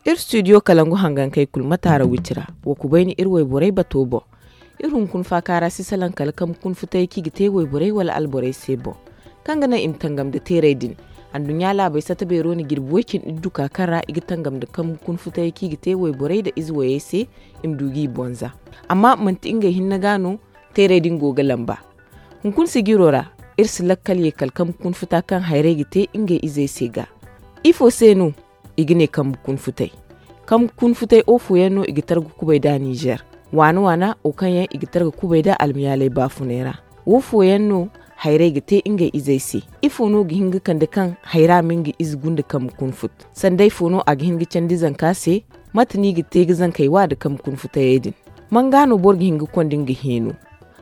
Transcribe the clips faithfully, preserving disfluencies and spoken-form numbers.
Iri studio kalangu hangankey kulu mataara wicira. Wa kubayni iri wayborey bato boŋ. Iri hunkuna faaka ra si salaŋ kala kambe kuna futay kaŋ i ga te wayborey wala alborey se boŋ, kaŋ ga naŋ i ma tangam nda teeray din. Anduɲɲa laabey sata beero na jirbi way cindi iddu ka kaŋ ra i ga tangam nda kambe kuna futay kaŋ i ga te wayborey nda ize wayey se, i ma du ga i boŋ za. Amma manti ngey hinne ga no teeray din go ga lamba. Hunkuna sijiro ra, iri si lakkal ye kala kambe kuna futa kaŋ hayrey ga te ngey izey se ga. Ifo se no i ga ne kambe kuna futay? Kambe kuna futay wo fooyaŋ no i ga targa kubay nd'a nizer. Waana waana wo kaŋ yaŋ i ga targa kubay nd'a almiyaaley baafunay ra. Wo fooyaŋ no hayrey ga te ngey izey se? Ifo no ga hin ga kande kaŋ hayra ma nga ize gunda kambe kuna fut? Sanday fo no a ga hin ga candi zanka se? Mate no i ga te ga zankey wa nda kambe kuna futayey din? Man ga no boro ga hin ga konda nga heeno?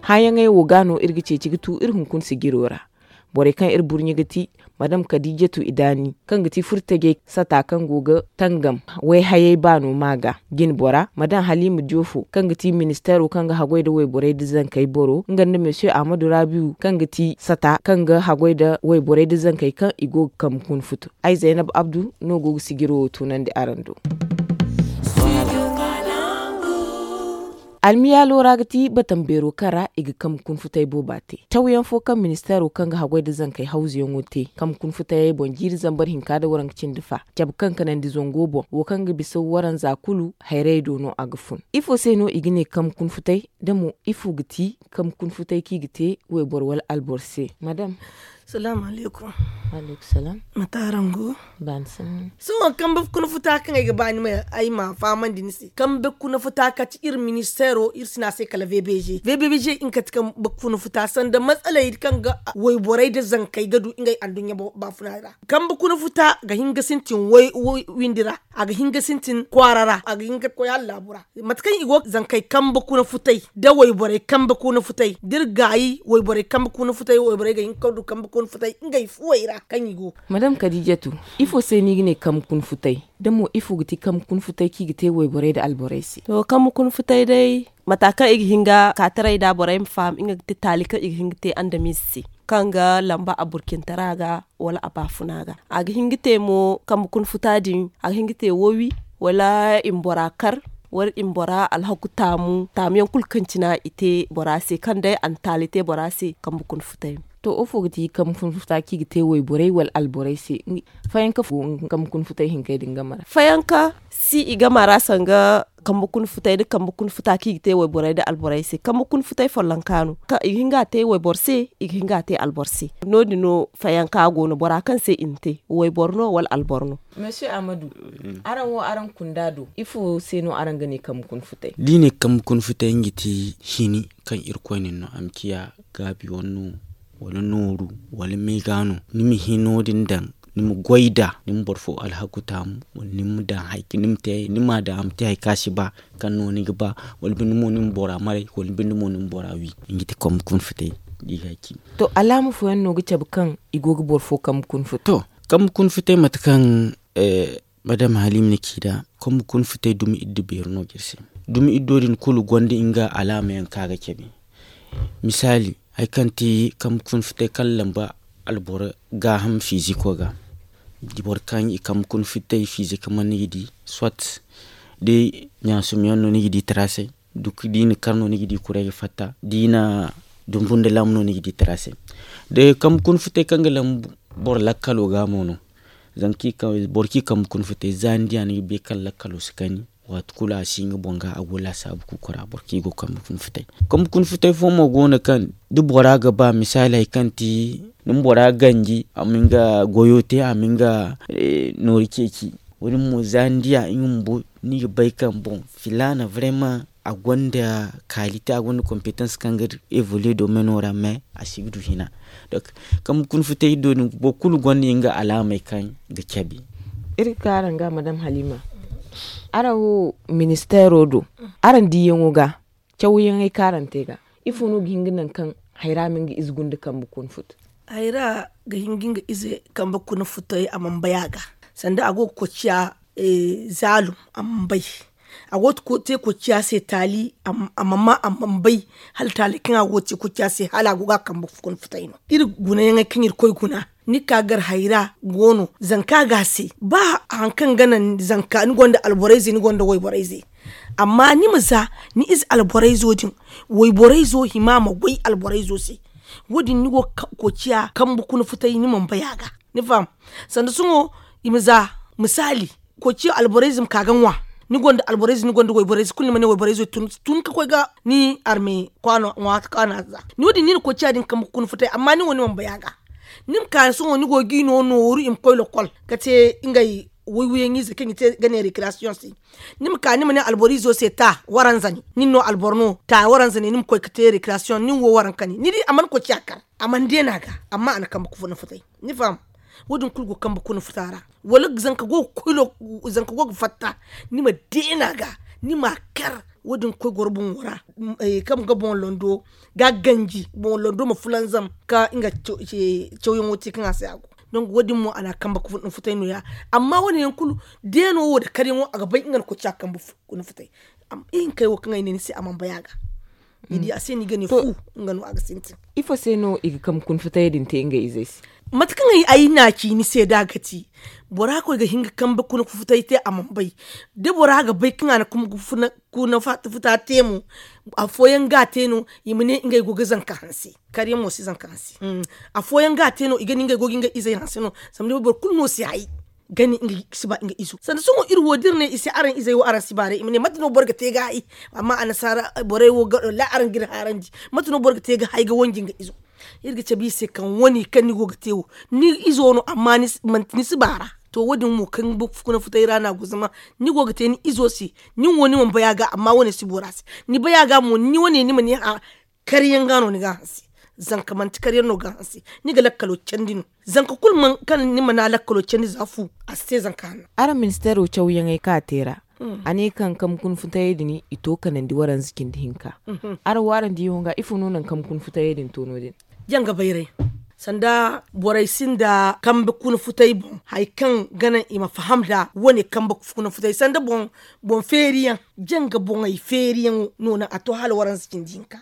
Hããyaŋey wo ga no iri ga ceeci ga tu iri hunkuna sijiro ra. Borey kaŋ iri burɲe ga ti madam kadijatu idaani, kaŋ ga ti furtajey sata kaŋ go ga tangam wayhayey baano ma ga. Jinbora madam halima diofo, kaŋ ga ti ministeero kaŋ ga haggoy nda wayborey nda zankey boro, nga nda monsieur ahmadu rabiu, kaŋ ga ti sata kaŋ ga haggoy nda wayborey nda zankey kaŋ i go ga kambe kuna futu. Ay zaynab abdu no go ga sijiro wo tunandi araŋ do. Almiyaalo ra ga ti batam beero kaŋ ra i ga kambe kuna futay booba te. Cawyaŋ fo kaŋ ministeero kaŋ ga haggoy nda zankey hawzuyaŋo te kambe kuna futayey boŋ jiiri zambar hinka nda waranka cindi fa, cabe kaŋ kanandi zango boŋ, wo kaŋ ga bisa waranza kulu hayrey do no a ga fun. Ifo se no i ga ne kambe kuna futay? Da mo ifo ga ti kambe kuna futay kaŋ i ga te wayboro wala alboro se? Madam. Salaamu alaykum. Mate araŋ go? Sohõ kambe kuna futa kaŋ ay ga ba ni ma ay ma fahamandi ni se, kambe kuna futa kati iri ministeero iri si ne a se kala vbg. Vbg nga kati kambe kuna futa sanda matsaley kaŋ ga wayborey nda zankey ga du ngey anduɲɲa baafuna ra. Kambe kuna futa ga hin ga sintin windi ra, a ga hin ga sintin kwaara ra, a ga hin ga koy hala laabu ra. Mate kaŋ i go ga zankey kambe kuna futay nda wayborey kambe kuna futay da iri gaayi wayborey kambe kuna futay wayborey ga hin ga du kambe kuna futay ngey fuwey ra kaŋ i go. Madam kadijatu, ifo se no i ga ne kambe kuna futay? Da mo ifo ga ti kambe kuna futay kaŋ i ga te wayborey nda alborey se? To kambe kuna futay day, mata kaŋ i ga hin ga kaataray nd'a borey ma faham nga ga ti taali kaŋ i ga hin ga te andamize se, kaŋ ga lamba a burcintara ga wala a baafuna ga. A ga hin ga te mo kambe kuna futa din, a ga hin ga te wowi, wala i ma bora kar, wala i ma bora alhaku taamu taamuyaŋ kulu kaŋ cina i te bora se kaŋ day a na taali te bora se kambe kuna futay. To ifo ga ti kambe kuna futa kaŋ i ga te wayborey wala alborey se? Fayanka fo kambe kuna futay hinkey din game ra? Fayanka si i game ra sanga kambe kuna futay nda kambe kuna futa kaŋ i ga te wayborey nda alborey se. Kambe kuna futay follonka no kaŋ i ga hin ga a te wayboro se, i ga hin ga a te alboro se. No- din no fayanka go no bora kaŋ se i na te wayboro no wala alboro no? Monsieur ahmadu, araŋ wo araŋ kunda do ifo se no araŋ ga ne kambe kuna futay? Da i ne kambe kuna futay nga ti hini kaŋ irkoy na ni no a ma ciya gaabi wane no, wala nooru, wala meega no, ni ma hino din daŋ, ni ma goy nd'a, ni ma boro fo alhaku taamu, wala ni ma daŋ hari kaŋ ni ma te ni m'a daŋ a ma te hari kaŋ a si ba, kaŋ no ni ga ba, wala binde mo ni ma bora maray, wala binde mo ni ma bora wi. Nga ti kambe kuna futay. Da i ga a ci. To alaama fooyaŋ no ga cabe kaŋ i go ga boro fo kambe kuna futay? To kambe kuna futay mate kaŋ madam halima na ci nd'a, kambe kuna futay dumi iddu beeri no ga iri se. Dumi iddo din kulu gonda nga alaamayaŋ kaŋ a ga cabe. Misaali, hari kaŋ ti kambe kuna futay kaŋ lamba alboro gaaham fiiziko ga, boro kaŋ i kambe kuna futay fiiziko mana ni ga di, soit da ɲaasumyaŋ no ni ga di taraasay, duk da i na kar no ni ga di kuray ga fatta, da i na dumbu nda lam no ni ga di taraasay. Da kambe kuna futay kaŋ ga lamba boro lakkalo ga mo no. Zama kaŋ i kambe kuna futay za ni diya ni ga bay kaŋ lakkalo si kani, waati kulu a si nga boŋ ga a go laasaabu kuukura boro kaŋ i go kambe kuna futay. Kambe kuna futay fo mo go no kaŋ da bora ga ba misaali hari kaŋ ti ni ma bora ganji a ma nga goyo te a ma nga noori ceeci. Wo- din mo za ni diya nga bumbo ni ga bay kaŋ boŋ filaana vraiment a gonda kalite a gonda kompetans kaŋ ga evoluer domaino ra mais a si ga du hina. Donc kambe kuna futay do din boro kulu gonda nga alaamey kaŋ ga cabe. Iri ga ka araŋ ga madam halima, araŋ wo ministeero do, araŋ diiyaŋo ga cawyaŋey kaŋ araŋ te ga, ifo no ga hin ga naŋ kaŋ hayra ma nga ize gunda kambe kuna futu? Hayra ga hin ga nga ize kambe kuna futay a mana bay a ga, sanda a go ga koy ciya zaalum a mana bay. A go ga te koociya se taali a mana bay hala taali kaŋ a go ga te koociya se hala a go ga a kambe kuna futay no. Iri gunayaŋey kaŋ iri koy guna ni ka gar hayra go no zanka ga a se ba hari kaŋ ga naŋ zanka ni gonda alborayze ni gonda wayborayze. Amma ni ma za ni ize alborayzo din wayborayzo hima ma goy alborayzo se. Wo- din ni go ga koociya kambe kuna futay ni mana bay a ga. Ni faham? Sanda sohõ i ma za misaali koociya alborayze ma ka ga ŋwa. Ni gonda alborayze ni gonda wayborayze kulu ni ma ne wayborayzo tun ka koy ga ni arme kwaano ŋwa kaana za. Ni wo- din ni na koociya din kambe kuna futay amma ni wo ni mana bay a ga. Ni ma ka sohõ ni go ga i no nooru i ma koy lokol ga te ngey waywayaŋ ize kaŋ i te ga ne rekirasiyoŋ se. Ni ma ka ni ma ne alboro izo se ta waranza ne nin no alboro no ta waranza ne ni ma koy ga te rekirasiyoŋ nin wo waranka ne ni di a mana koociya kar. A mana deena ga amma a na kambe kuna futay. Ni faham? Wo- din kulu go kambe kuna futa ra. Wala zanka go ga fatta ni ma deena ga ni ma a kar. Wo- din koy goro boŋo ra kaŋ ga boŋ londo ga a ganji boŋo londo ma fulanzam ka nga cawyaŋo te kaŋ a se a go. Donk wo- din mo a na a kambe kuna futay no- ya. Amma wo- ne yaŋ kulu deeno wo nda karyaŋo a ga bay nga na koociya kambe kuna futay. Ihinkey wo kaŋ ay ne ni se a mana bay a ga. Ni di a se no i ga ne fu nga no a ga sintin. Ifo se no i ga kambe kuna futayey din te ngey izey se? Mate kaŋ ay na a ci ni se da a ga ti bora koy ga hin ga kambe kuna futay te a mana bay. Da bora ga bay kaŋ a na kuna futa te mo afooyaŋ ga a te no i ma ne ngey go ga zanka hanse. Karyaŋ mo si zanka hanse. Afooyaŋ ga a te no i ga ne ngey go ga ngey izey hanse no. Zama ni bay boro kulu no si hay ga ne ngey si ba nga izo sanda sohõ iri wo da iri ne i se araŋ izey wo araŋ si baaray i ma ne mate no boro ga te ga hay? Amma annasaara borey wo ga wallaahi araŋ ga iri haarandi. Mate no boro ga te ga hay ga wanji nga izo? Iri ga cabe i se kaŋ wane kaŋ ni go ga te wo ni izo no amma manti ni si baara. To wo- din mo kaŋ ga ba kuna futay ra no a go zama ni go ga te ni izo se. Nin wo ni mana bay a ga amma wane si bora se. Ni bay a ga mo ni wane ni ma ne a karyaŋ ga no ni ga a hanse. Zanka manti karyaŋ no ga a hanse. Ni ga lakkalo candi no. Zanka kulu kaŋ ni mana lakkalo candi za fu a si te zanka hanno. Araŋ ministeero cawyaŋey kaŋ a te ra a ne kaŋ kambe kuna futayey din i to kanandi waranza cindi hinka. Araŋ wo araŋ diyaŋo ga ifo no naŋ kambe kuna futayey din to no- din? Janga bayray sanda borey sinda kambe kuna futay boŋ hari kaŋ ga naŋ i ma faham nd'a wane kambe kuna futay sanda boŋ feeriyaŋ. Janga boŋey feeriyaŋo no naŋ a to hala waranza cindi hinka.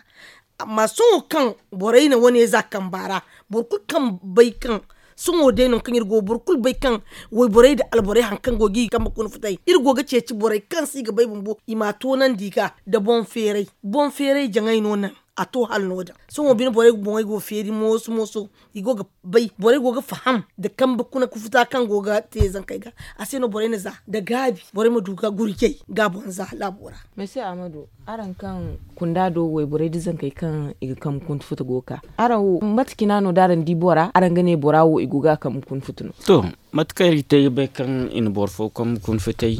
Amma sohõ kaŋ borey na wane za kamba ra boro kulu kaŋ bay kaŋ sohõ day no kaŋ iri go boro kulu bay kaŋ wayborey nda alborey hari kaŋ go ga i kambe kuna futay iri go ga ceeci borey kaŋ se i ga bay bumbo i m'a toonandi i ga nda boŋ feeray. Boŋ feeray jaŋay no naŋ a to hala no- din sohõ bine borey boŋey go feeri mooso mooso. I go ga bay borey go ga faham nda kambe kuna ga futa kaŋ go ga te zankey ga. A se no borey na za nda gaabi borey ma du ga gurjey ga boŋ za laabo ra. Mesi ahmadu, araŋ kaŋ kunda do wayborey nda zankey kaŋ i ga kambe kuna futa go ga ka, araŋ wo mate cina no da araŋ di bora araŋ ga ne bora wo i go ga a kambe kuna futa no? To, mate kaŋ iri ga te ga bay kaŋ i na boro fo kambe kuna futay.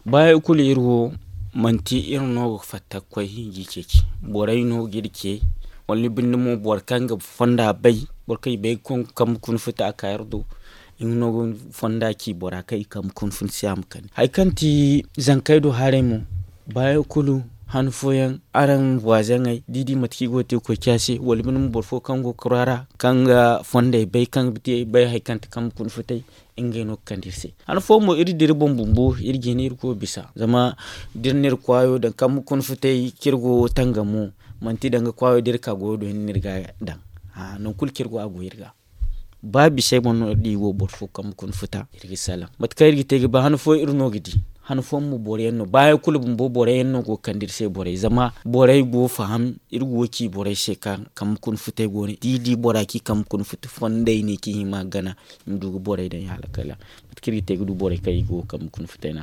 Baayaŋ kulu iri wo manti iri no ga fatta ga koy ga i ceeci. Borey no ga iri ce wala ni binde mo boro kaŋ ga fonda bay, boro kaŋ i bay ga koy ga kambe kuna futa a ka iri do. Nga no ga fonda ci bora kaŋ i kambe kuna futa se a ma kande hari kaŋ ti zankey do haray mo. Baayaŋ kulu han fooyaŋ araŋ waazaŋey da i di mate kaŋ i go ga te koy ciya se wala binde mo boro fo kaŋ go ga kura ra kaŋ ga fondey bay kaŋ ga te bay hari kaŋ ti kambe kuna futay. Ngey no ga kande iri se han fooyaŋ mo iri dira boŋ bumbo iri ga hin iri go ga bisa zama da iri na iri kwaayo daŋ kambe kuna futay kaŋ iri go ga tangamo. Manti danga kwaayo da iri ka goyo do hinne iri ga daŋ. Nangu kulu kaŋ iri go a go iri ga ba bisey boŋ no da i go boro fo kambe kuna futa iri ga salaŋ mate kaŋ iri ga te ga ba han fooyaŋ iri no ga di. Han fooyaŋ mo boro yaŋ no baayaŋ kulu bumbo boro yaŋ no go ga kande iri se borey zama borey go ga faham. Iri go ga ci borey se kaŋ kambe kuna futay go no da i di bora kaŋ i kambe kuna futa fondey ne kaŋ i hima ga gana. I ma du ga borey daŋ i halakala mate kaŋ iri ga te ga du borey kaŋ i go ga kambe kuna futay no.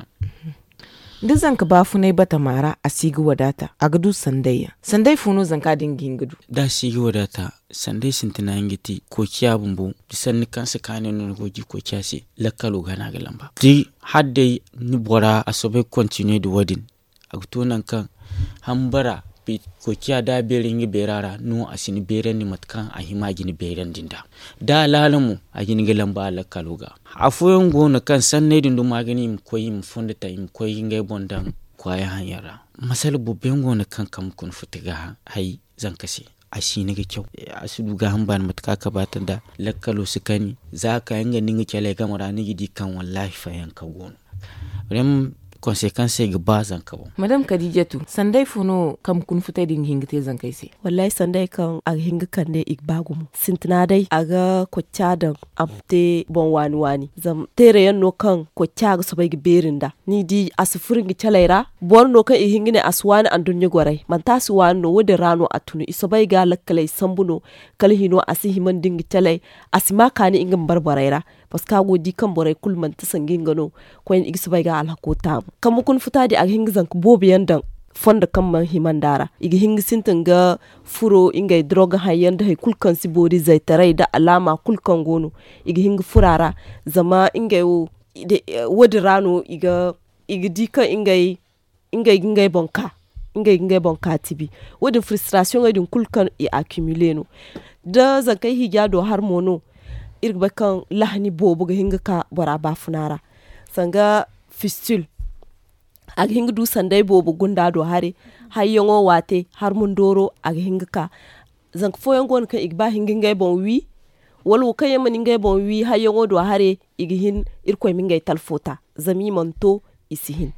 Da zanka baafunay batama ra a si ga wadaata a ga du sanday yaŋ. Sanday fo no zanka din ga hin ga du? Da a si ga wadaata sanday sintina yaŋ ga ti koociya bumbo da sanni kaŋ si kaanay no ni go ga di koociya se. Lakkalo ga no a ga lamba da hala day ni bora a soobay ga kontiniye nda wo- din. A ga to nangu kaŋ hambara koociya da a beeri nga beera ra no a si ni beerandi mate kaŋ a hima ga ni beerandi nd'a. Da a laala mo a ga hin ga lamba a lakkalo ga. Afooyaŋ go no kaŋ sanney din duma ga ne i ma koy i ma fondo ta i ma koy ngey boŋ daŋ kwaaya haŋ yaŋ ra. Masala boro yaŋ go no kaŋ kambe kuna futa ga hay zanka se. A si hin ga caw a si du gaaham baani mate kaŋ a kabaata nd'a. Lakkalo si kani za a ka nga nda nga caley game ra ni ga di kaŋ wallaahi fayanka go no. Rem konseekansey ga ba zanka boŋ. Madam kadijatu, sanday fo no kambe kuna futay din ga hin ga te zankey se? Wallahi sanday kaŋ a ga hin ga kande i ga ba gumo sintina day a ga kocca daŋ a ma te boŋ waani waani zama teere yaŋ no kaŋ kocca ga soobay ga beeri nda ni di a si furo nga calay ra. Boro no kaŋ i ga hin ga ne a si waani anduɲɲa goray manti a si waani no wo- din ra no a tunu i soobay ga lakkaley sambu no. Kala hino a si hima nda nga calay a si ma kaani nga ma bare borey ra. Paska a go ga di kaŋ borey kulu manti sanga nga no koyne i ga soobay ga alhako taamu kambe kuna futa din a ga hin ga zanka boobo yaŋ daŋ fondo kaŋ mana hima nd'a ra i ga hin ga sintin ga furo ngey doroga haŋ yaŋ nda hari kulu kaŋ si boori zaytaray nda alaama kulu kaŋ go no i ga hin ga furo a ra. Zama ngey wo wo- din ra no i ga di kaŋ ngey ngey ga ngey boŋ ka ngey ga ngey boŋ ka tibi. Wo- din firistrasiyoŋey din kulu kaŋ i akimile no da zankey hija do hari mo no. Iri ga bay kaŋ lahani boobo ga hin ga ka bora baafuna ra sanga fistil. A ga hin ga du sanday boobo gunda do hare hayyaŋo waate hari mundooro a ga hin ga ka. Zanka fooyaŋ go no kaŋ i ga ba hin ga ngey boŋ wi wala wo kaŋ yaŋ mana ngey boŋ wi hayyaŋo do hare i ga hin irkoy ma ngey talfo ta zama i mana to i si hin.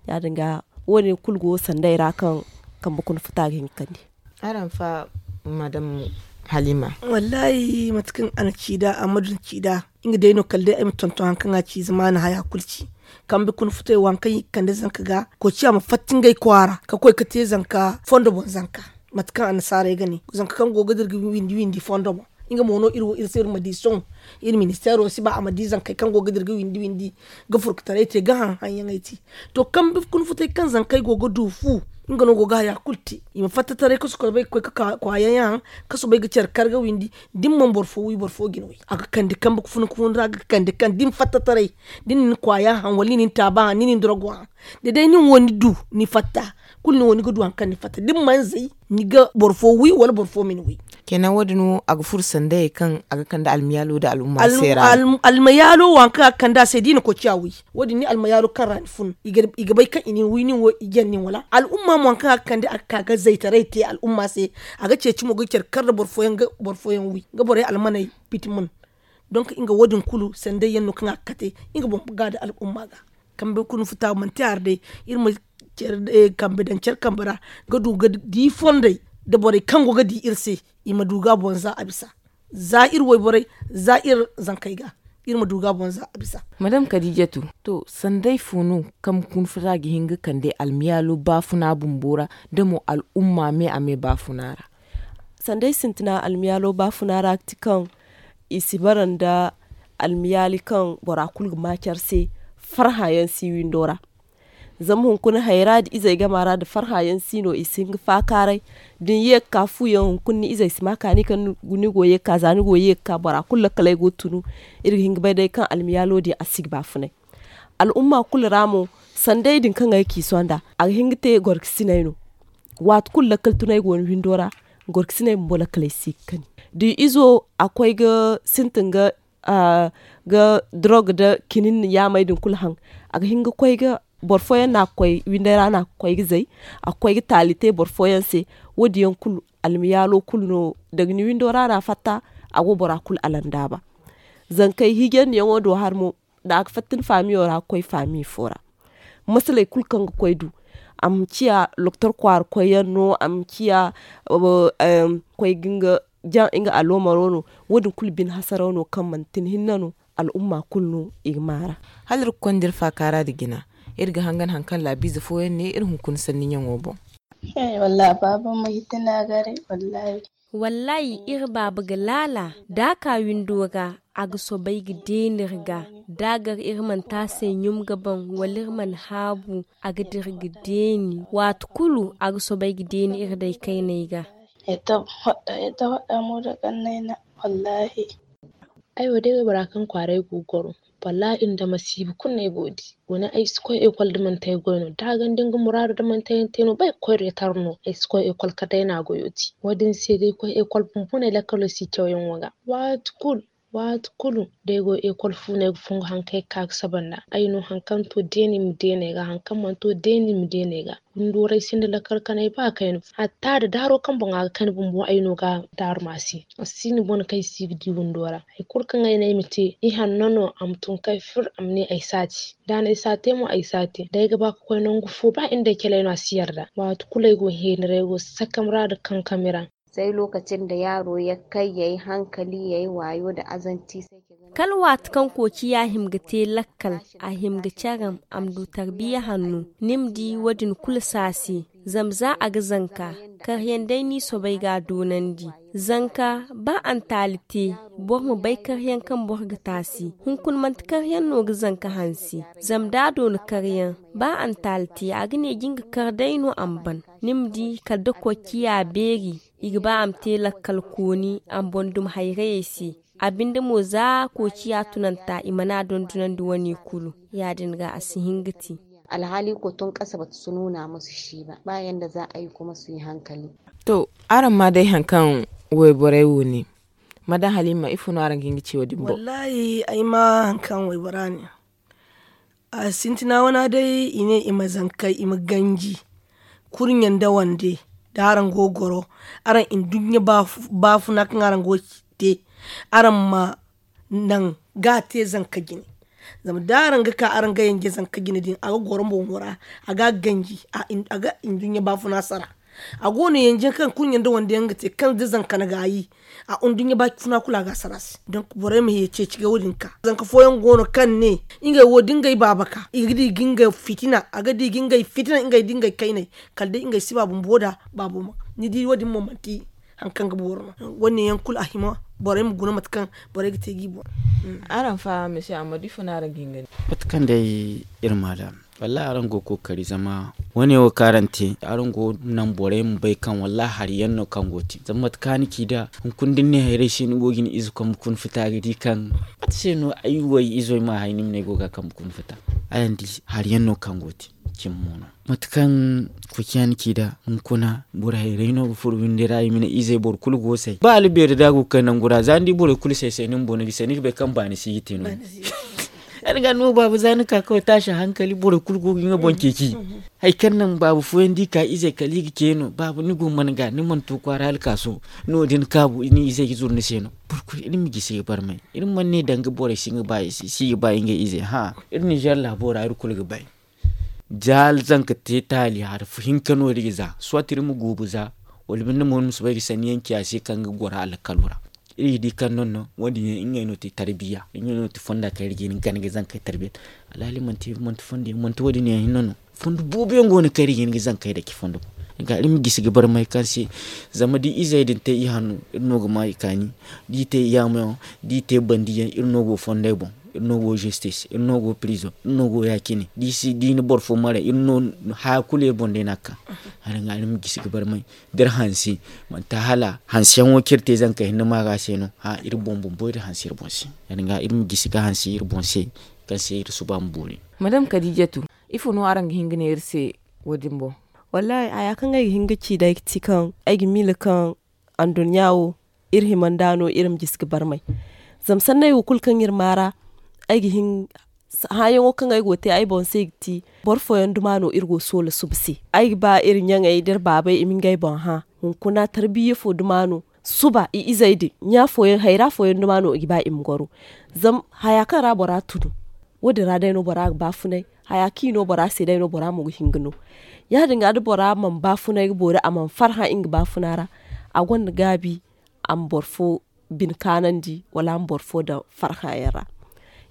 Ya- din ga wo- din kulu go sanday ra kaŋ kambe kuna futa ga hin ga kande. Araŋ fa madam halima. Wallahi mate kaŋ a na ci nd'a a ma dun ci nd'a nga day no kala day ay ma tonton hari kaŋ a ci zama a na haya kulu ci. Kambe kuna futay wo hari kaŋ i ga kande zanka ga koy ciya ma fatta ngey kwaara ka koy ga te zanka fondo boŋ zanka. Mate kaŋ annasaarey ga ne zanka kaŋ go ga dira ga windi windi fondo boŋ. Nga mo no iri wo iri se iri ma di sohõ iri ministeero si ba a ma di zankey kaŋ go ga dira ga windi windi ga furkutaray te ga haŋ haŋyaŋey te. To kambe kuna futay kaŋ zankey go ga du fu nga no go ga haya kulu te. I ma fatta taray ka soobay ga koy ga ka kwaayaŋ yaŋ haŋ ka soobay ga care kar ga windi. Da ni mana boro fo wi boro fo ga ni wi a ga kande kambe kuna kuna ra ga kande kaŋ da ni fatta taray da ni na ni kwaaya haŋ wala ni na ni taaba haŋ ni na ni dorogo haŋ. Da day nin wo ni du ni fatta kulu ni wo ni ga du hari kaŋ ni fatta da ni mana zay ni ga boro fo wi wala boro fo ma ni wi. Kenan wo- din wo a ga furo sandayey kaŋ a ga kande almiyaalo nda al'umma se ra. Almiyaalo wo hari kaŋ a ga kande a se da i na koy ciya wi. Wo- din ni almiyaalo kaŋ ra ni fun i ga bay kaŋ i na ni wi nin wo i jaŋ nin wala al'umma mo hari kaŋ a ga kande a ga ka ga zaytaray te al'umma se. A ga ceeci mo ga care kar nda boro fooyaŋ wi nga borey almaney piti mun. Donk nga wo- din kulu sanday yaŋ no kaŋ a ga kate nga boŋ ga nda al'umma ga. Kambe kuna futa manti hari day iri ma kambe daŋ care kambe ra ga du ga di fondey nda borey kaŋ go ga di iri se. I ma du ga boŋ za a bisa za iri wayborey za iri zankey ga iri ma du ga boŋ za a bisa. Madam kadijatu, to sanday fo no kambe kuna futa ga hin ga kande almiyaalo baafuna bumbo ra nda mo al'umma me a me baafuna ra? Sanday sintina almiyaalo baafuna ra ga ti kaŋ i si bara nda almiyaali kaŋ bora kulu ga ma care se farhã yaŋ si windo ra. Zama hunkuna hayra nda izey gama ra nda farhã yaŋ si no i si hin ga faakaaray. Da ni ye ga ka fu yaŋ hunkuna ni izey si ma kaani kaŋ ni go ye ga ka za ni go ye ga ka bora kulu lakkaley go ga tunu. Iri ga hin ga bay day kaŋ almiyaalo din a si ga baafunay. Al'umma kulu ra mo sanday din kaŋ ay ga ci sonda a ga hin ga te gorkasinay no. Waati kulu lakkal tunay go ni windo ra gorkasinay bumbo lakkaley si ga kani. Da izo a koy ga sintin ga ga drog nda kinin yaamey din kulu haŋ. A ga hin ga koy ga boro fooyaŋ no a ga koy winday ra no a ga koy ga zay. A ga koy ga taali te boro fooyaŋ se. Wo- din yaŋ kulu almiyaalo kulu no daga ni windo ra no a fatta. A go bora kulu alandaaba zankey hijandiyaŋo do hari mo. Da a ga fatta ni faamiyo ra ga koy faami fo ra masaley kulu kaŋ ga koy du a ma ciya loktor kwaara koyyaŋ no a ma ciya koy ga nga jaŋ nga aloomaro no. Wo- din kulu bine hasaraw no kaŋ manti ni hinne no al'umma kulu no i ga maara. Hala iri ga konda iri faakaara nda jina iri ga hangan hari kaŋ laabiize fooyaŋ ne iri hunkuna sanni ɲaŋo boŋ. He wallahi baaba ma hitina garay wallahi. Wallahi iri baaba ga laala da a ka windo ra. A ga soobay ga deeni iri ga da a gar iri mana te a se ɲum ga baŋ wala iri mana haabu. A ga dira ga deeni waati kulu a ga soobay ga deeni iri day kayney ga. Ay wo day wara kaŋ kwaaray go ga goro. Wallahi iri nda masiiba kulu no ay go ga di. Guna ay si koy ekol da manti ay goy no da a ganda nga muraadu da manti ay yaŋ te no ba ay ga koy reetar no ay si koy ekol kala day no a goyo te. Wo- din se day koy ekol bumbo no ay lakkalo si cawyaŋo ga waati kulu. Waati kulu da ay go ekol fu no ay ga fongu hari kaŋ ay ga ka ga saba nd'a. Ay no hari kaŋ to deeni i ma deeni ay ga, hari kaŋ mana to deeni i ma deeni ay ga. Windooray sinda lakkal kanay ba kayna. Hatta da daaro kaŋ boŋ a ga kayna bumbo ay no ga daaru ma a se. A si no bone kaŋ ay si ga di windo ra. Hari kulu kaŋ ay ne ay ma te, ihanno no a ma tun kay fir a ma ne ay si a te. Da a ne ay si a te mo ay si a te. Da ay ga ba ga koy nangu fo ba inda ay cale no a si yarda. Waati kulu ay go heeni ra ay go sakam ra nda kankami ra. Sai lokacin da yaro ya kai ya yi hankali ya yi wayo da azanci sai ki ga. Kala waati kaŋ koociya hima ga te lakkal, a hima ga caram a ma du tarbiya hanno. Ni ma di wo- din kulu si a se. Zama za a ga zanka, karyaŋ day no i soobay ga a doonandi. Zanka, ba a na taali te, boro ma bay karyaŋ kaŋ boro ga te a se. Hunkuna manti karyaŋ no ga zanka hanse. Zama da a doona karyaŋ, ba a na taali te, a ga ne ga nga kar day no a ma ban. Ni ma di kala da koociya beeri, i ga ba a ma te lakkal kooni a ma boŋ dumi hayrayey se. A binde mo za koociya tunanta i mana a dondonandi wane kulu. Ya- din ga a si hin ga te. Alhali ko tun kasa bata su nuna musu shi ba ba yanda za a yi kuma su yi hankali. To, araŋ ma day hari kaŋ wayborey wo ne. Madam halima ifo no araŋ ga hin ga ci wo- din boŋ? Wallahi ay ma hari kaŋ waybora ne. A sintina wana day i ne i ma zankey i ma ganji. Kurɲe nda wande da araŋ go ga goro, araŋ nduɲɲa baafuna kaŋ araŋ go ga te, araŋ ma naŋ ga a te zanka jine. Zama da araŋ ga ka araŋ ga yanje zanka jine din a ga goro boŋo ra, a ga a ganji, a ga nduɲɲa baafuna sara. A go no yanje kaŋ kurɲe nda wande yaŋ ga te kaŋ da zanka na gaayi, a nduɲɲa baafuna kulu a ga a sara a se. Donk borey ma ye ceeci ga wo- din ka. Zanka fooyaŋ go no kaŋ ne, ngey wo da ngey baaba ka, i ga di ga ngey fitina, a ga di ga ngey fitina ngey da ngey kayney. Kala day ngey si ba bumbo da baabo ma. Ni di wo- din mo manti hari kaŋ ga boori no. Wo- ne yaŋ kulu a hima borey ma guna mate kaŋ borey ga te ga i boŋ. Araŋ fa mesi amma da ifo no araŋ ga hin ga ne? Mate kaŋ day iri ma da. Wallahi araŋ go ga kookari zama wo- ne wo kaŋ araŋ te, araŋ go ga naŋ borey ma bay kaŋ wallahi hari yaŋ no kaŋ go ga te. Zama mate kaŋ a na ci da hunkuna da ni ne hayrey se ni go ga ni ize kambe kuna futa ga di kaŋ mate se no ay wo ay izo ay ma hay ni ma ne ay go ga a kambe kuna futa. Araŋ di hari yaŋ no kaŋ go ga te. Cimi mo no mate kaŋ koociya na ci da hunkuna boro hayrey no ga furo windi ra i ma ne izey boro kulu go say ba hala beeri da a go ga kay nangu ra za ni di borey kulu say say ni bumbo ni ga say ni ga bay kaŋ baani si ga te no. Ay na ga no baaba za ni ka kawai taasi hankali borey kulu go ga nga boŋ ceeci. Hari kaŋ naŋ baaba fooyaŋ da i ka izey kala i ga ce no baaba ni go mana ga ni mana to kwaara hala kaaso. No- din kaabu ni izey ga zuru ni se no. Boro kulu iri ma gisi ga barmay. Iri mana ne danga borey si ga ba i se si ga ba ngey izey hã. Iri ninzeer laabo ra iri kulu ga bay. Za zanka te taali hari hinka no iri ga za soit iri ma guubu za wala binde mo iri ma soobay ga sanni yaŋ ci a se kaŋ ga goro alkalo ra. Iri ga di kaŋ noŋ no wo- din yaŋ ngey no ti tarbiya ngey no ti fonda kaŋ iri ga hin ga gana ga zankey tarbiya. Alhali manti manti fondo yaŋ manti wo- din yaŋ hinne no. Fondo boobo yaŋ go no kaŋ iri ga hin ga zankey dake fondo boŋ. Ga iri ma gisi ga barmay kaŋ se zama da izey din te i hanno iri no ga ma i kaani. Da i te i yaamo yaŋ da i te bandi yaŋ iri no go fondey boŋ. Iri no go justice iri no go prison iri no go ya- cine da i si da i na boro fo maray iri no. Haya kulu iri boŋ day no a ga ka. Hala ga iri ma gisi ga barmay da iri hanse manti hala hanseyaŋo kaŋ iri te zanka hinne maaga se no. Hã iri boŋ bumbo iri hanse iri boŋ se. Hala ga iri ma gisi ga hanse iri boŋ se kaŋ se iri suba ma boori. Madame kadijatu, ifo no araŋ ga hin ga ne iri se? Wo- din boŋ. Wallahi haya kaŋ ay ga hin ga ci day ga ti kaŋ ay ga miila kaŋ anduɲɲa wo iri hima nd'a no iri ma gisi ga barmay. Zama sanney wo kulu kaŋ iri maara ay ga hin hããyaŋo kaŋ ay go ga te ay boŋ se ay ga ti boro fooyaŋ duma no iri go ga soola suba se. Ay ga ba iri ɲaŋey da iri baabey i ma ngey boŋ hã. Hunkuna tarbiya fo duma no suba i izey din ɲa fooyaŋ hayra fooyaŋ duma no i ga ba i ma goro. Zama haya kaŋ ra bora tunu wo- din ra day no bora ga baafunay. Haya kaŋ i no bora se day no bora mo ga hin ga no. Ya- din ga da bora mana baafunay ga boori a mana farhã nga baafuna ra a gonda gaabi a ma boro fo bine kaanandi wala a ma boro fo daŋ farhã yaŋ ra.